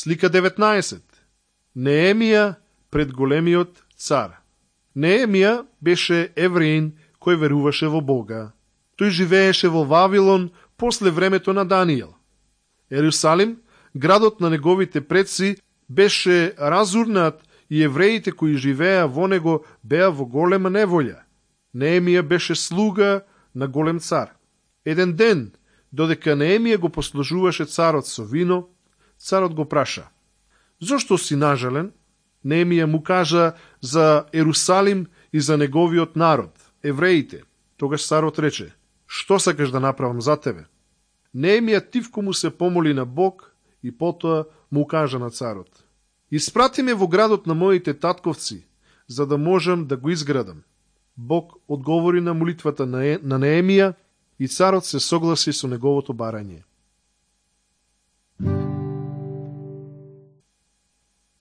Слика 19. Неемија пред големиот цар. Неемија беше евреин кој веруваше во Бога. Тој живееше во Вавилон после времето на Данијел. Ерусалим, градот на неговите предци, беше разурнат и евреите кои живееа во него беа во голема неволја. Неемија беше слуга на голем цар. Еден ден, додека Неемија го послужуваше царот со вино, царот го праша: зошто си нажален? Неемија му кажа за Ерусалим и за неговиот народ, евреите. Тогаш царот рече: што сакаш да направам за тебе? Неемија тивко му се помоли на Бог и потоа му кажа на царот: испрати ме во градот на моите татковци, за да можам да го изградам. Бог одговори на молитвата на Неемија и царот се согласи со неговото барање.